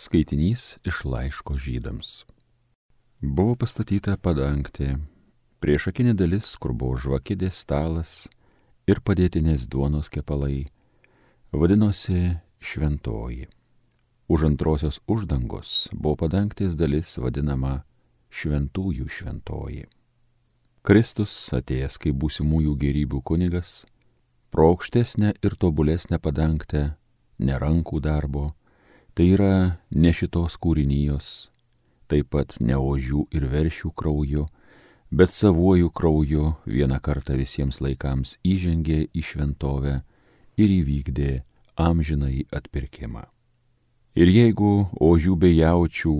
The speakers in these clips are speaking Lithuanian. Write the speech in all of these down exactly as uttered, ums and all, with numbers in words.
Skaitinys iš laiško Žydams. Buvo pastatyta padangtė, priešakinė dalis, kur buvo žvakidės stalas ir padėtinės duonos kepalai, vadinosi šventoji. Už antrosios uždangos buvo padangtės dalis vadinama šventųjų šventoji. Kristus, atėjęs kaip būsimųjų gėrybių kunigas, pro aukštesnę ir tobulesnę padangtę, ne rankų darbo, tai yra ne šitos kūrinijos, taip pat ne ožių ir veršių krauju, bet savuoju krauju vieną kartą visiems laikams įžengė į šventovę ir įvykdė amžinąjį atpirkimą. Ir jeigu ožių bei jaučių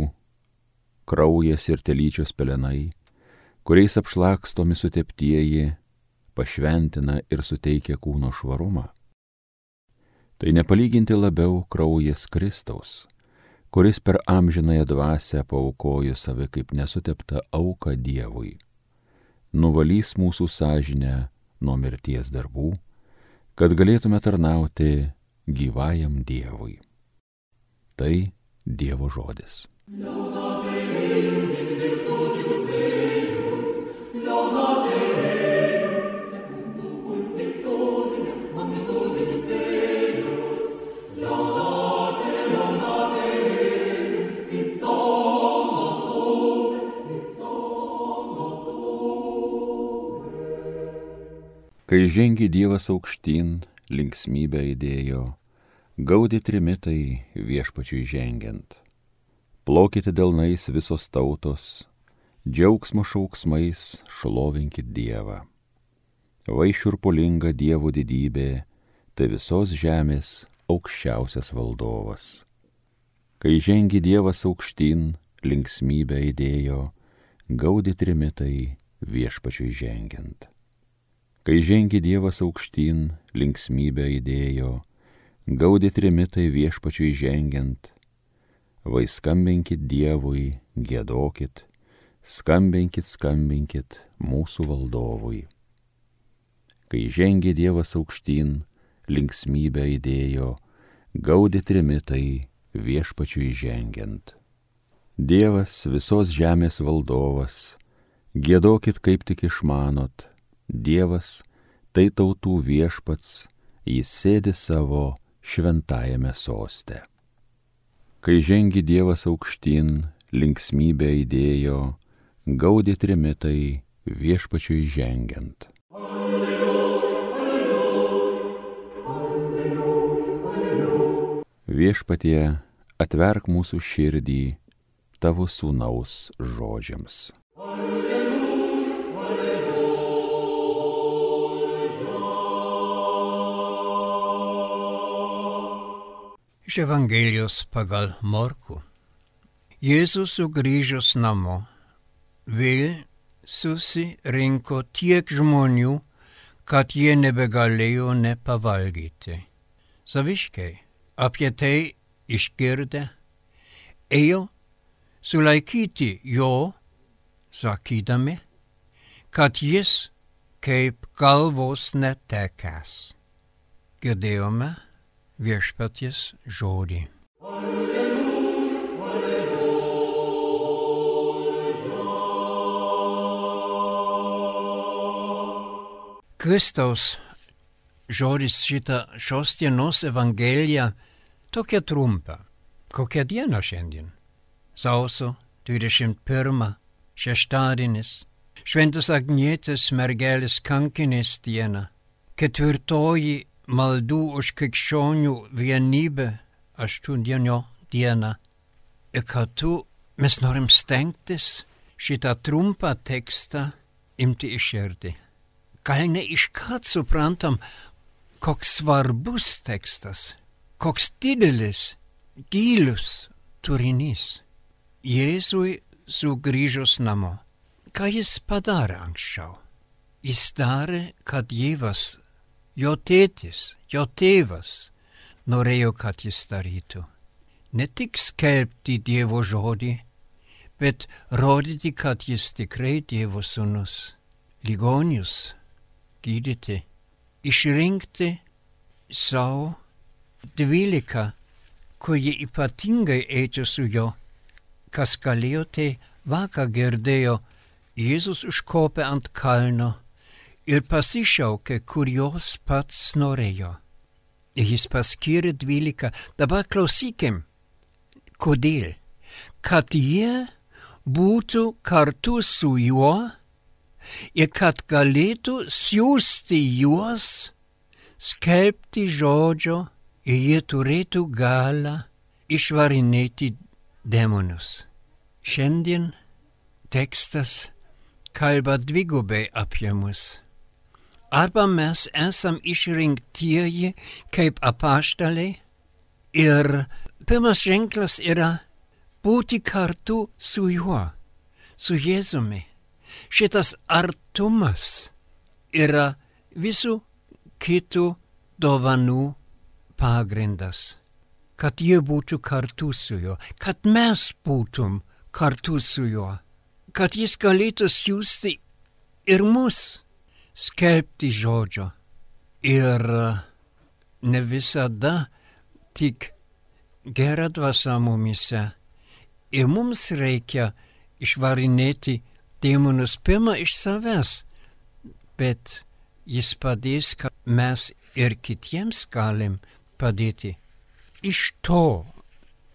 kraujas ir telyčios pelenai, kuriais apšlakstomi suteptieji, pašventina ir suteikia kūno švarumą, tai nepalyginti labiau kraujas Kristaus, kuris per amžinąją dvasią paaukojo save kaip nesuteptą auką Dievui, nuvalys mūsų sąžinę nuo mirties darbų, kad galėtume tarnauti gyvajam Dievui. Tai Dievo žodis. Kai žengė Dievas aukštyn, linksmybę įdėjo, gaudė trimitai viešpačiui žengiant. Plokite delnais visos tautos, džiaugsmo šauksmais šlovinkit Dievą. Vai šiurpulinga Dievo didybė, tai visos žemės aukščiausias valdovas. Kai žengė Dievas aukštyn, linksmybę įdėjo, gaudė trimitai viešpačiui žengiant. Kai žengė Dievas aukštyn, linksmybę įdėjo, gaudė trimitai viešpačiui žengiant. Vai skambinkit Dievui, giedokit, skambinkit, skambinkit mūsų valdovui. Kai žengė Dievas aukštyn, linksmybę įdėjo, gaudė trimitai viešpačiui žengiant. Dievas visos žemės valdovas, giedokit kaip tik išmanot, Dievas tai tautų viešpats, jis sėdi savo šventajame soste. Kai žengė Dievas aukštyn, linksmybę įdėjo, gaudė trimitai viešpačiui žengiant. Alleluja, alleluja, alleluja, alleluja. Viešpatie, atverk mūsų širdį tavo sūnaus žodžiams. Iš Evangelijos pagal Morkų. Jėzus sugrįžus namo vėl susirinko tiek žmonių, kad jie nebegalėjo nepavalgyti. Saviškiai apie tai išgirdę ėjo sulaikyti jo, sakydami, kad jis kaip galvos netekęs. Girdėjome viešpaties žodį. Alleluja, alleluja. Kristaus žodis šitą šios dienos Evangeliją tokia trumpa. Kokia diena šiandien? Sausio dvidešimt pirma, šeštadienis, Šventos Agnietės mergelės kankinės diena, ketvirtoji maldų už krikščionių vienybę aštuondienio dieną. Ir kartu mes norim stengtis šitą trumpą tekstą imti į širdį. Gal ne iškart suprantam, koks svarbus tekstas, koks didelis, gilus turinys. Jėzui sugrįžus namo. Ką jis padarė anksčiau? Jis darė, kad Dievas, jo tėtis, jo tėvas norėjo, kad jis darytų. Ne tik skelbti Dievo žodį, bet rodyti, kad jis tikrai Dievo sūnus. Ligonius gydyti, išrinkti savo dvylika kur jie ypatingai eiti su juo. Kas galėjo, tai vakar girdėjo, Jėzus užkopė ant kalno ir pasišaukė, kur jos pats norėjo. Jis paskyrė dvylika. Dabar klausykim, kodėl? Kad jie būtų kartu su juo ir kad galėtų siųsti juos, skelbti žodžio ir jie turėtų galą išvarinėti demonus. Šiandien tekstas kalba dvigubai apie mus. Arba mes esam išrinktieji kaip apaštalai ir pirmas ženklas yra būti kartu su juo, su Jėzumi. Šitas artumas yra visų kitų dovanų pagrindas. Kad jie būtų kartu su juo, kad mes būtum kartu su juo, kad jis galėtų siųsti ir mus skelbti žodžio. Ir ne visada tik gera dvasia mumise. Ir mums reikia išvarinėti demonus pirmą iš savęs, bet jis padės, kad mes ir kitiems galim padėti. Iš to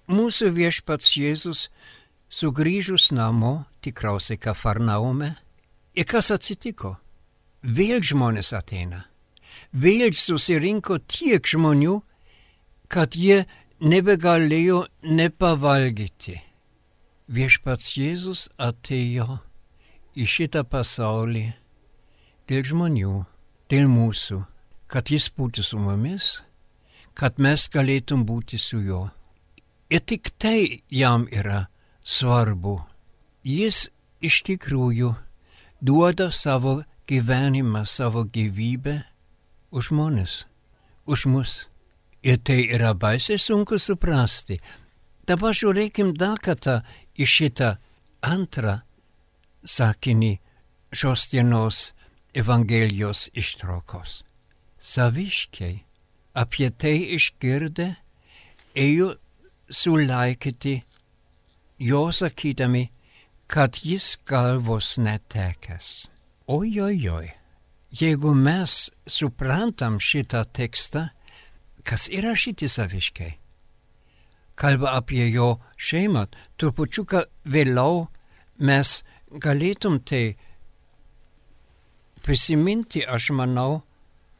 mūsų viešpats Jėzus sugrįžus namo, tikriausiai Kafarnaume, ir kas atsitiko? Vėl žmonės ateina. Vėl susirinko tiek žmonių, kad jie nebegalėjo nepavalgyti. Viešpats Jėzus atėjo į šitą pasaulį dėl žmonių, dėl mūsų, kad jis būtų su mumis, kad mes galėtum būti su juo. Ir tik tai jam yra svarbu. Jis iš tikrųjų duoda savo gyvenimą, savo gyvybę už žmones, už mus. Ir tai yra baisiai sunku suprasti. Dabar žiūrėkim dar kartą į šitą antrą sakinį šios dienos Evangelijos ištraukos. Saviškiai apie tai išgirdę ėjo sulaikyti jo sakydami, kad jis galvos netekęs. Ojojoj, jeigu mes suprantam šitą tekstą, kas yra šitie saviškiai? Kalba apie jo šeimą, trupučiuką vėliau mes galėtum tai prisiminti, aš manau,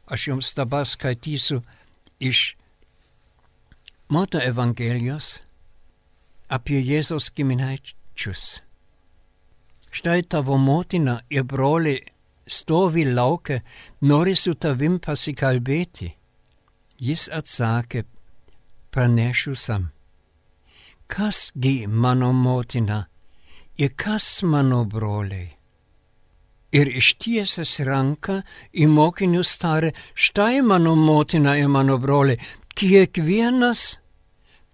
aš jums dabar skaitysiu iš Mato Evangelijos apie Jėzaus giminaičius. Štai tavo motina ir broliai stovi lauke, nori su tavim pasikalbėti. Jis atsakė, pranešiu sam. Kasgi mano motina ir kas mano broliai? Ir ištiesęs ranką į mokinius tarė, štai mano motina ir mano broliai, kiekvienas,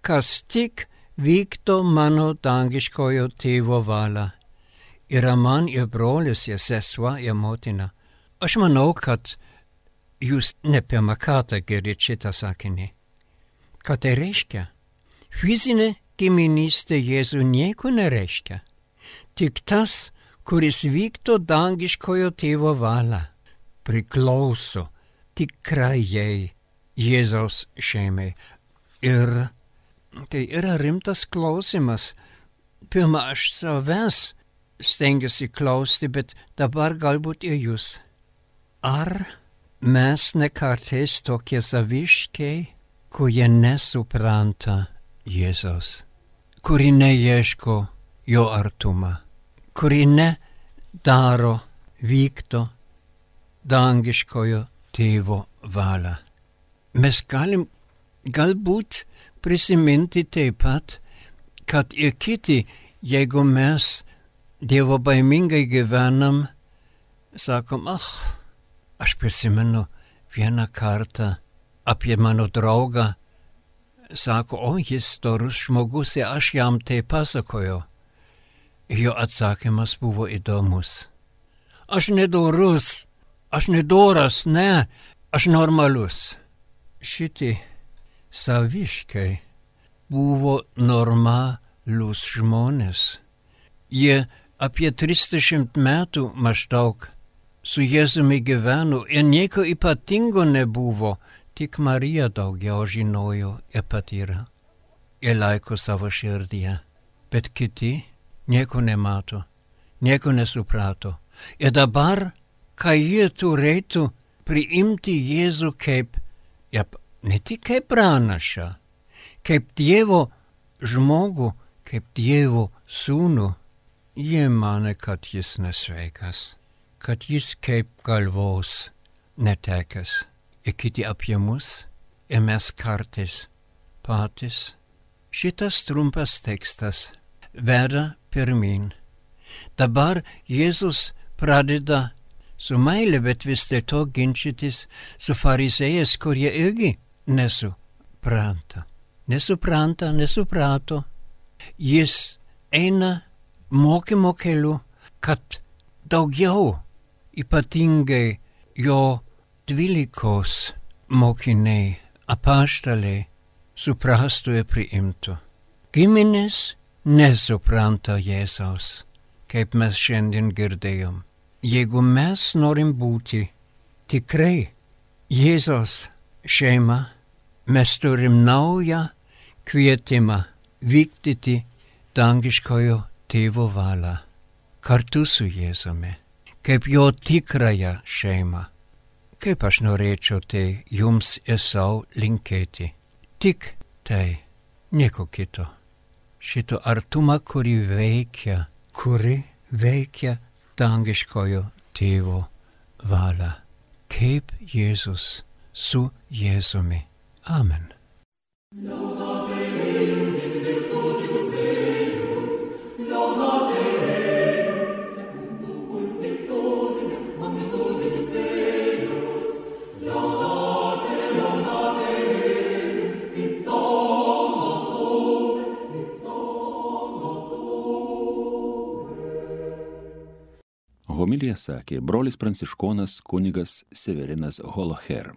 kas tik vykdo mano dangiškojo tėvo valią. Yra man ir brolis, ir sesuo, ir motina. Aš manau, kad jūs ne pirmą kartą girdite šitą sakinį. Ką tai reiškia? Fizinė giminystė Jėzų nieko nereiškia. Tik tas, kuris vykdo dangiškojo tėvo valią, priklauso tikrajai Jėzaus šeimai. Ir tai yra rimtas klausimas. Pirma, aš savęs stengiuosi klausti, bet dabar galbūt ir jūs. Ar mes ne kartais tokie saviškiai, kurie nesupranta Jėzaus, kuri neieško jo artumą, kuri nedaro, vykdo dangiškojo tėvo valią. Mes galim galbūt prisiminti taip pat, kad ir kiti, jeigu mes Dievo baimingai gyvenam, sakom, ach, aš prisimenu vieną kartą apie mano draugą, sako, o jis dorus žmogus ir aš jam tai pasakojau. Jo atsakymas buvo įdomus. Aš nedorus, aš nedoras, ne, aš normalus. Šitie saviškai buvo normalūs žmonės. Jie apie trisdešimt metų maždaug su Jėzumi gyveno ir nieko ypatingo nebuvo, tik Marija daugiau žinojo ir patyrė. Ir laiko savo širdyje, bet kiti nieko nemato, nieko nesuprato. Ir dabar, kai jie turėtų priimti Jėzų kaip, ja, ne tik kaip pranašą, kaip Dievo žmogų, kaip Dievo sūnų, jie mane, kad jis nesveikas, kad jis kaip galvos netekęs. Ir kiti apie mus, ir mes kartais patys. Šitas trumpas tekstas veda pirmin. Dabar Jėzus pradeda su meile, bet vis dėlto ginčytis su farizėjais, kurie irgi nesupranta. Nesupranta, nesuprato. Jis eina mokymo keliu, kad daugiau, ypatingai jo dvylikos mokiniai, apaštaliai, suprastų ir priimtų. Giminės nesupranta Jėzaus, kaip mes šiandien girdėjom. Jeigu mes norim būti tikrai Jėzaus šeima, mes turim naują kvietimą vykdyti dangiškojo tėvo valią kartu su Jėzumi, kaip jo tikrąją šeimą. Kaip aš norėčiau tai jums ir sau linkėti. Tik tai, nieko kito. Šito artumą, kuri veikia, kuri veikia dangiškojo tėvo valią. Kaip Jėzus su Jėzumi. Amen. Homiliją sakė brolis pranciškonas kunigas Severinas Holoher.